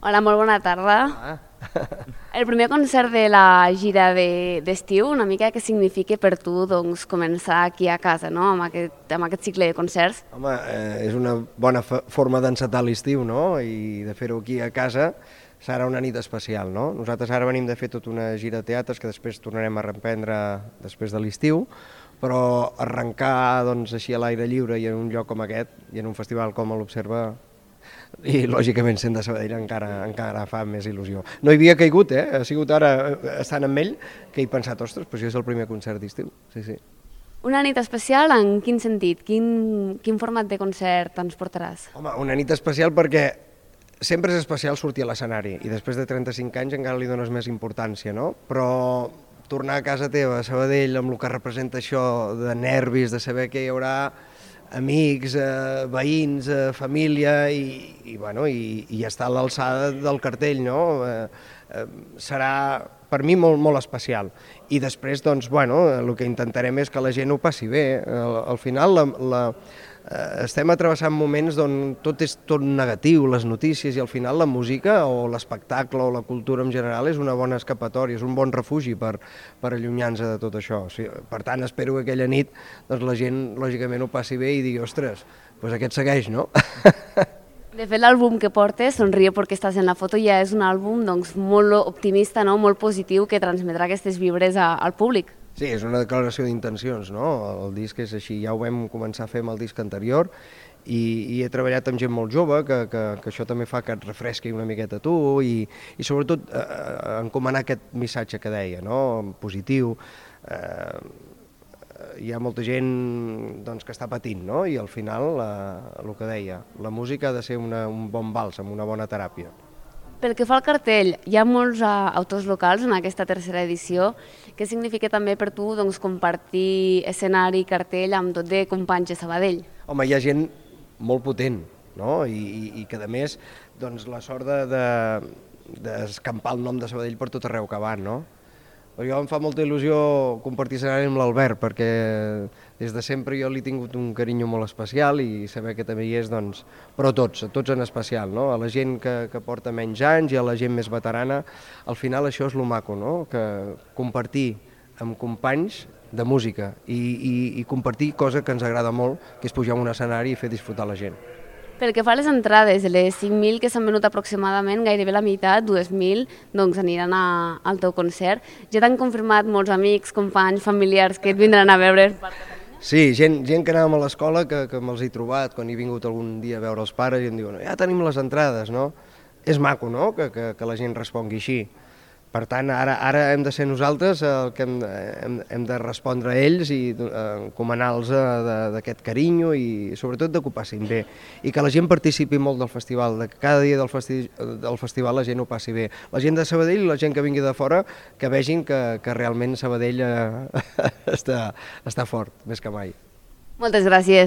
Hola, molt bona tarda. Ah. El primer concert de la gira d'estiu, una mica què significa per tu doncs, començar aquí a casa, no? amb aquest cicle de concerts? Home, és una bona forma d'encetar l'estiu, no? I de fer-ho aquí a casa serà una nit especial, no? Nosaltres ara venim de fer tota una gira de teatres que després tornarem a reprendre després de l'estiu, però arrencar doncs, així a l'aire lliure i en un lloc com aquest i en un festival com l'Observa i lògicament sent de Sabadell encara fa més il·lusió. No hi havia caigut, ha sigut ara estant amb ell que he pensat, ostres, però això és el primer concert d'estiu, sí, sí. Una nit especial en quin sentit? Quin format de concert ens portaràs? Home, una nit especial perquè sempre és especial sortir a l'escenari i després de 35 anys encara li dones més importància, no? Però tornar a casa teva, a Sabadell, amb el que representa això de nervis, de saber que hi haurà amics, veïns, família i estar a l'alçada del cartell, no? Serà per mi molt especial. I després, doncs, el que intentarem és que la gent ho passi bé. Al final estem travessant moments on tot és tot negatiu, les notícies, i al final la música o l'espectacle o la cultura en general és una bona escapatòria, és un bon refugi per allunyar-nos de tot això. Per tant, espero que aquella nit la gent lògicament ho passi bé i digui, ostres, doncs aquest segueix, no? De fet, l'àlbum que portes, Sonríe perquè estàs en la foto, ja és un àlbum molt optimista, molt positiu, que transmetrà aquestes vibres al públic. Sí, és una declaració d'intencions, no? El disc és així, ja ho vam començar a fer amb el disc anterior i he treballat amb gent molt jove, que això també fa que et refresqui una miqueta tu i sobretot encomanar aquest missatge que deia, no? Positiu. Hi ha molta gent doncs, que està patint, no? I al final, el que deia, la música ha de ser un bon bàlsam, una bona teràpia. Pel que fa al cartell, hi ha molts autors locals en aquesta tercera edició. Què significa també per tu doncs, compartir escenari i cartell amb tot de companys de Sabadell? Home, hi ha gent molt potent, no? I que a més doncs, la sort d'escampar el nom de Sabadell per tot arreu que van, no? Jo em fa molta il·lusió compartir escenari amb l'Albert, perquè des de sempre jo li he tingut un carinyo molt especial i saber que també hi és, doncs, però tots en especial, no? A la gent que porta menys anys i a la gent més veterana, al final això és lo maco, no? Que compartir amb companys de música i compartir cosa que ens agrada molt, que és pujar a un escenari i fer disfrutar la gent. Pel que fa a les entrades, de les 5.000 que s'han venut aproximadament, gairebé la meitat, 2.000, doncs aniran al teu concert. Ja t'han confirmat molts amics, companys, familiars que et vindran a veure? Sí, gent que anàvem a l'escola, que me'ls he trobat quan he vingut algun dia a veure els pares i em diuen, ja tenim les entrades, no? És maco, no?, que la gent respongui així. Per tant, ara hem de ser nosaltres el que hem de respondre a ells i encomanar-los d'aquest carinyo i sobretot de que ho passin bé. I que la gent participi molt del festival, que cada dia del festival la gent ho passi bé. La gent de Sabadell i la gent que vingui de fora que vegin que realment Sabadell està fort, més que mai. Moltes gràcies.